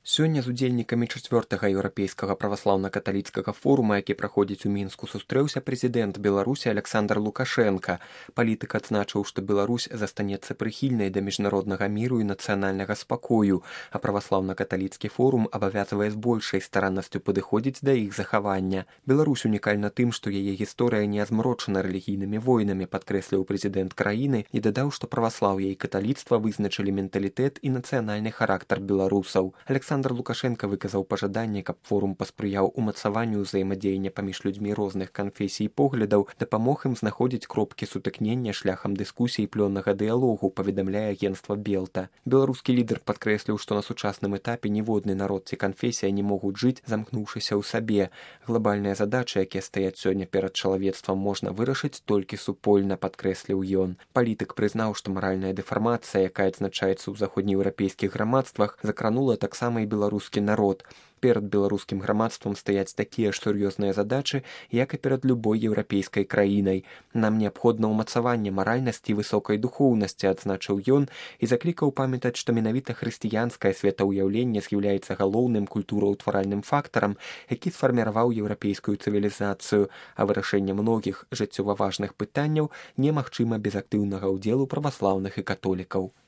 Сёння з удзельнікамі 4-га еўрапейскага праваслаўна-каталіцкага форума, які праходзіць у Мінску, сустрэўся прэзідэнт Беларусі Аляксандр Лукашенка. Палітык адзначыў, што Беларусь застанецца прыхільнай да міжнароднага міру і нацыянальнага спакою, а праваслаўна-каталіцкі форум абавязвае з большай стараннасцю падыходзіць да іх захавання. Беларусь унікальна тым, што яе гісторыя не азмрочана рэлігійнымі войнамі, падкрэсліў прэзідэнт краіны і дадаў, што праваслаўе і каталіцтва вызначылі менталітэт і нацыянальны характар беларусаў. Александр Лукашенко выказаў пажаданне, каб форум паспрыяў умацаванню ўзаемадзеяння паміж людзьмі розных канфесій і поглядаў, дапамог ім знаходзіць кропкі сутыкнення шляхам дыскусій плённага дыялогу, паведамляе агенцтва Белта. Беларускі лідар падкрэсліў, што на сучасным этапе ніводны народ ці канфесія не могуць жыць, замкнуўшыся ў сабе. Глобальныя задачы, якія стаяць сёння перад чалавецтвам, можна вырашыць толькі супольна, падкрэсліў ён. Палітык прызнаў, што маральная дэфармацыя, якая адзначаецца ў заходнееўрапейскіх грамадствах, закранула таксама і беларускі народ. Перад беларускім грамадствам стаяць такія ж сур'ёзныя задачы, як і перад любой еўрапейскай краінай. Нам неабходна ўмацаванне маральнасці і высокай духоўнасці, адзначыў ён, і заклікаў памятаць, што менавіта хрысціянскае светаўяўленне з'яўляецца галоўным культураўтваральным фактарам, які сфарміраваў еўрапейскую цывілізацыю, а вырашэнне многіх жыццёва важных пытанняў немагчыма без актыўнага ўдзелу праваслаўных і католікаў.